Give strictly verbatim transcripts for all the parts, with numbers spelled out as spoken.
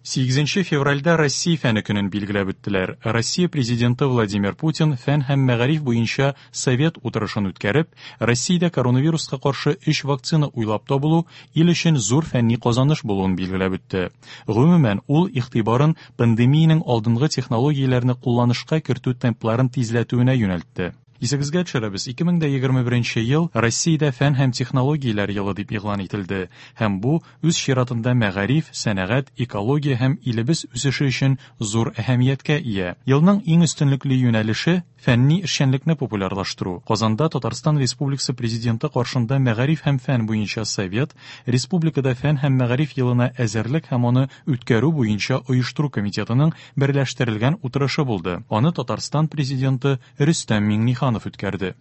Сигезенче февральдә Россия фәне көнен билгеләп үттеләр. Россия президенты Владимир Путин фән һәм мәгариф буенча совет утырышын үткәреп, Россиядә коронавируска каршы өч вакцина уйлап табылу ил өчен зур фәнни казаныш булуын билгеләп үтте. Гомумән, ул игътибарын пандемиянең алдынгы технологияләрне кулланышка кертү темпларын тизләтүенә юнәлтте. Исегезгә төшерәбез, ике мең дә егерме беренче ел Россиядә фән һәм технологияләр елы дип игълан ителде. Һәм бу үз чиратында мәгариф, сәнәгать, экология һәм илебез үсеше өчен зур әһәмияткә ия. Елның иң өстенлекле юнәлеше фәнни эшчәнлекне популярлаштыру. Казанда Татарстан Республикасы президенты каршында мәгариф һәм фән буенча совет, республикада фән һәм мәгариф елына әзерлек һәм аны үткәрү буенча оештыру комитетының берләштерелгән утырышы булды. Аны Татарстан президенты Рөстәм Миңнеханов үткәрде.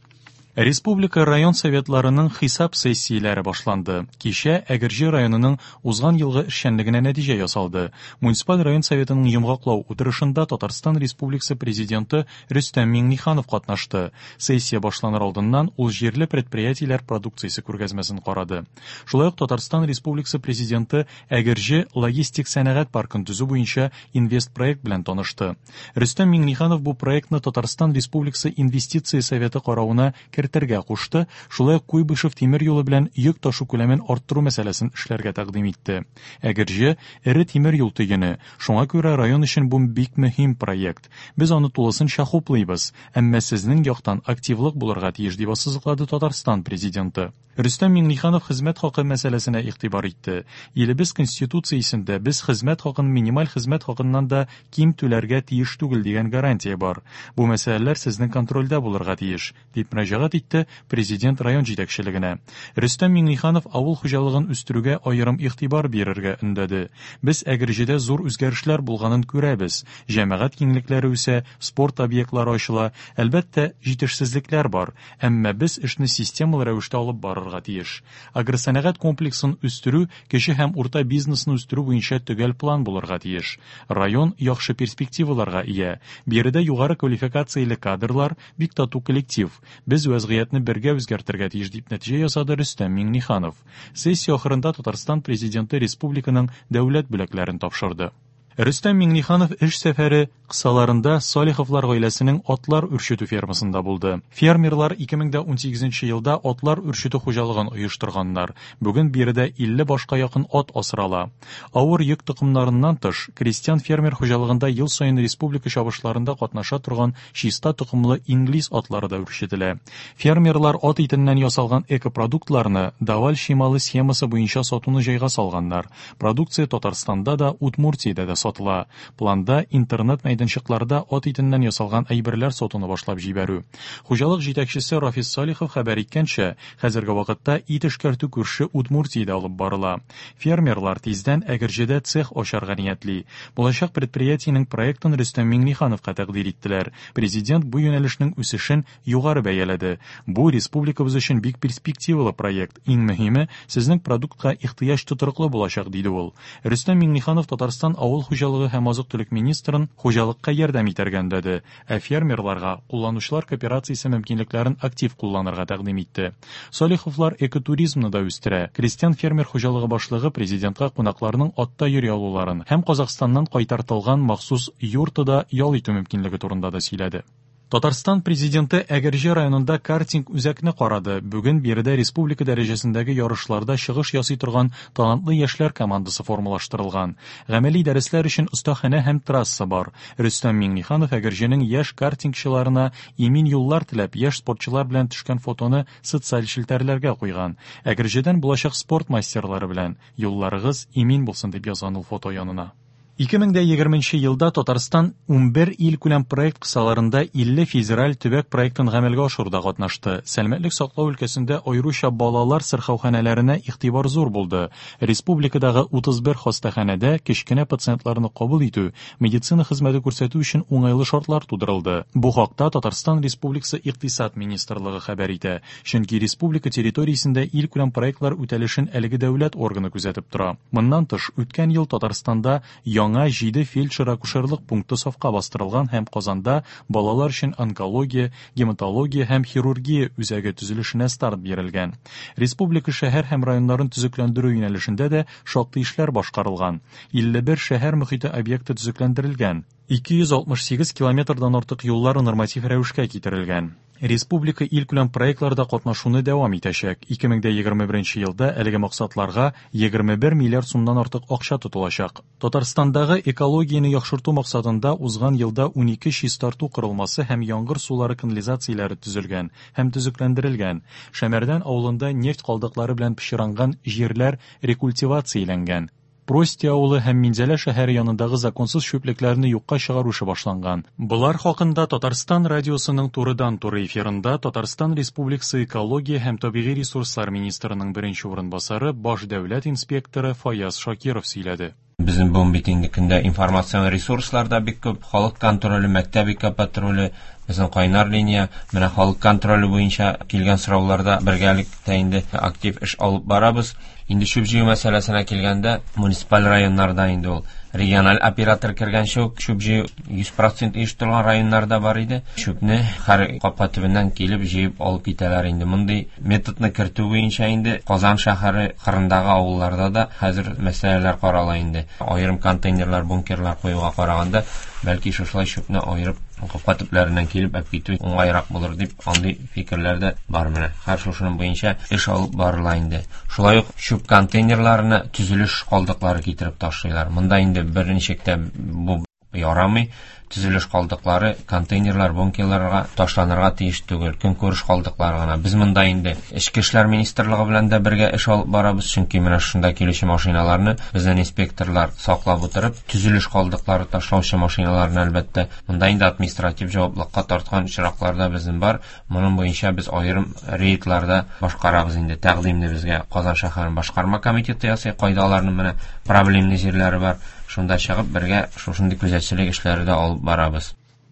Республика район советларының хисап сессияләре башланды. Кичә Әгерҗе районының узган елгы эшчәнлегенә нәтиҗә ясалды. Муниципаль район советының йомгаклау утырышында Татарстан Республикасы президенты Рөстәм Миңнеханов катнашты. Сессия башланыр алдыннан ул җирле предприятиеләр продукциясе күргәзмәсен карады. Шулай ук Татарстан Республикасы президенты Әгерҗе логистик сәнәгать паркын төзү буенча инвестпроект белән танышты. Рөстәм Миңнеханов бу проектны Татарстан Республикасы Инвестиция советы каравына кертергә кушты, шулай ук Куйбышев тимер юлы белән йөк ташу күләмен арттыру мәсьәләсен эшләргә тәкъдим итте. Әгерҗе эре тимер юл төене, шуңа күрә район өчен бу бик мөһим проект. Без аны тулысынча хуплыйбыз, әмма сезнең яктан активлык булырга тиеш, дип ассызыклады Татарстан президенты. Рөстәм Миңнеханов хезмәт хакы мәсьәләсенә игътибар итте. Илебез Конституциясендә без хезмәт хакын минималь хезмәт хакыннан да ким түләргә тиеш түгел дигән гарантия бар. Бу мәсьәләләр сезнең контрольдә булырга тиеш, дип мөрәҗәгать итте президент район җитәкчелегенә. Рөстәм Миңнеханов авыл хуҗалыгын үстерүгә аерым игътибар бирергә өндәде. Без Әгерҗедә зур үзгәрешләр булганын күрәбез. Җәмәгать киңлекләре үсә, спорт объектлары ачыла. Әлбәттә, җитешсезлекләр бар, әмма без эшне системалы рәвештә алып барырга тиеш. Агросәнәгать комплексын үстерү, кече һәм урта бизнесны үстерү буенча төгәл план булырга тиеш. Район яхшы перспективаларга ия. Биредә югары квалификацияле кадрлар, бик тату коллектив. Без вәзгыятьне бергә үзгәртергә тиеш, дип нәтиҗә ясады Рөстәм Миңнеханов. Сессия ахырында Татарстан президенты республиканың дәүләт бүләкләрен тапшырды. Рөстәм Миңнеханов эш сәфәре кысаларында Салиховлар гаиләсенең атлар үрчетү фермасында булды. Фермерлар ике мең дә унсигезенче елда атлар үрчетү хуҗалыгын оештырганнар. Бүген биредә илле башка якын ат асрала. Авыр йөк токымнарыннан тыш, крестьян фермер хуҗалыгында ел саен республика чабышларында катнаша торган чиста токымлы инглиз атлары да үрчетелә. Фермерлар ат итеннән ясалган экопродуктларны Даваль чималы схемасы буенча сатуны җайга салганнар. Продукция Татарстанда да, Удмуртиядә дә сатыла. Планда интернет мәйданчыкларда ат итеннән ясалган әйберләр сатуны башлап җибәрү. Хуҗалык җитәкчесе Рафис Салихов хәбәр иткәнчә, хәзерге вакытта ит эшкәртү күрше Удмуртиядә алып барыла. Фермерлар тиздән Әгерҗедә цех ачарга ниятли. Булачак предприятиенең проектын Рөстәм Миңнехановка тәкъдир иттеләр. Президент бу юнәлешнең үсешен югары бәяләде. Бу республикабыз өчен бик перспективалы проект. Иң мөһиме, сезнең продуктка ихтыяҗ тотрыклы булачак, диде ул. Рөстәм Миңнеханов Татарстан авыл хуҗалыгы һәм азык-төлек министрын хуҗалыкка ярдәм итәргә өндәде, ә фермерларга кулланучылар кооперациясе мөмкинлекләрен актив кулланырга тәкъдим итте. Салиховлар экотуризмны да үстерә. Крестьян фермер хуҗалыгы башлыгы президентка кунакларның атта йөри алуларын һәм Казахстаннан кайтартылган махсус юртада ял итү мөмкинлеге турында да сөйләде. Татарстан президенты Әгерҗе районында картинг үзәкне карады. Бүген биредә республика дәрәҗәсендәге ярышларда чыгыш ясый торган талантлы яшьләр командасы формалаштырылган. Гамәли дәресләр өчен остаханә һәм трасса бар. Рөстәм Миңнеханов Әгерҗенең яшь картингчыларына имин юллар теләп, яшь спортчылар белән төшкән фотоны социаль челтәрләргә куйган. Әгерҗедән булачак спорт мастерлары белән юлларыгыз имин булсын дип язган ул фото янына. Ике мең дә егерменче елда Татарстан унбер илкүләм проект кысаларында илле федераль төбәк проектын гамәлгә ашыруда катнашты. Сәламәтлек саклау өлкәсендә аеруча балалар сырхауханәләренә игътибар зур булды. Республикадагы утыз бер хастаханәдә кечкенә пациентларны кабул итү, медицина хезмәте күрсәтү өчен уңайлы шартлар тудырылды. Бу хакта Татарстан Республикасы Икътисад министрлыгы хәбәр итә. Чөнки республика территориясендә илкүләм проектлар үтәлешен әлеге дәүләт органы күзәтеп тора. Моннан тыш, үткән ел Татарстанда Яңа җиде фельдшер-акушерлык пункты сафка бастырылган һәм Казанда балалар өчен онкология, гематология һәм хирургия үзәге төзелешенә старт бирелгән. Республика шәһәр һәм районнарын төзекләндерү юнәлешендә дә шактый эшләр башкарылган. илле бер шәһәр мөхите объекты төзекләндерелгән. ике йөз алтмыш сигез километрдан артык юллар норматив рәвешкә китерелгән. Республика илкүләм проектларда катнашуны дәвам итәчәк. ике мең дә егерме беренче елда әлеге максатларга егерме бер миллиард сумнан артык акча тотылачак. Татарстандагы экологияне яхшырту максатында узган елда унике чистарту корылмасы һәм яңгыр сулары канализацияләре төзелгән һәм төзекләндерелгән. Шәмәрдән авылында нефть калдыклары белән пычранган җирләр рекультивацияләнгән. Прости авылы һәм Минзәлә шәһәре янындагы законсыз чүплекләрне юкка чыгару эше башланган. Болар хакында Татарстан радиосының турыдан-туры эфирында Татарстан Республикасы экология һәм табигый ресурслар министрының беренче урынбасары, баш дәүләт инспекторы Фаяз Шакиров сөйләде. Безнең бүген бит инде көндә информацион ресурслар да бик күп, халык контроле, мәктәп экопатруле, безнең кайнар линия, менә халык контроле буенча килгән сорауларда бергәлектә инде актив эш алып барабыз. Инде чүп җыю мәсьәләсенә килгәндә, муниципаль районнарда инде ул региональ оператор кергәнче үк чүп җыю йөз процент оештырылган районнарда бар иде. Чүпне һәр капка төбеннән килеп җыеп алып китәләр инде. Мондый методны кертү буенча инде Казан шәһәре кырындагы авылларда да хәзер мәсьәләләр карала инде. Аерым контейнерлар, бункерлар куюга караганда, бәлки шушылай чүпне аерып капка төпләреннән килеп алып китү уңайрак булыр дип андый фикерләр дә бар менә. Һәр шушының буенча эш алып барыла инде. Шулай ук чүп контейнерларына төзелеш калдыклары китереп ташлыйлар. Монда инде берничек тә бу ярамый. Төзелеш калдыклары контейнерлар, бункерларга ташланырга тиеш түгел, көнкүреш калдыклары гына. Без монда инде Эчке эшләр министрлыгы белән дә бергә эш алып барабыз, чөнки менә шунда килүче машиналарны безнең инспекторлар саклап утырып, төзелеш калдыклары ташлаучы машиналарны әлбәттә монда инде административ җаваплылыкка тарткан очраклар да безнең бар. Моның буенча без аерым рейдларда башкарабыз инде. Тәкъдимне безгә Казан шәһәренең башкарма комитеты ясый, кайда аларның менә проблемлы җирләре бар. Шунда чыгып бергә шушындый күзәтчелек эшләре дә алып барабыз.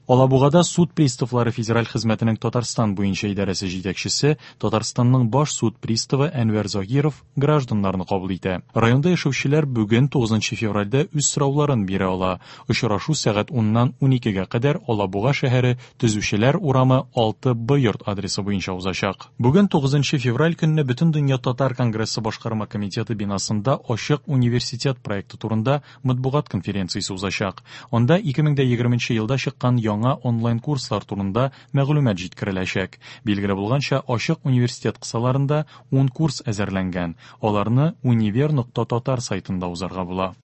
Алабугада суд приставлары федераль хезмәтенең Татарстан буенча идарәсе җитәкчесе, Татарстанның баш суд приставы Әнвәр Загиров гражданнарны кабул итә. Районда яшәүчеләр бүген тугызынчы февральдә үз сорауларын бирә ала. Очрашу сәгать уннан уникегә кадәр Алабуга шәһәре Төзүчеләр урамы алты Б йорт адресы буенча узачак. Бүген тугызынчы февраль көнне Бөтендөнья татар конгрессы башкарма комитеты бинасында Ачык университет проекты турында матбугат конференциясе узачак. Анда ике мең дә егерменче елда чыккан яңа онлайн курслар турында мәгълүмат җиткереләчәк. Билгеле булганча, Ачык университет кысаларында ун курс әзерләнгән. Аларны универ нокта татар сайтында узарга була.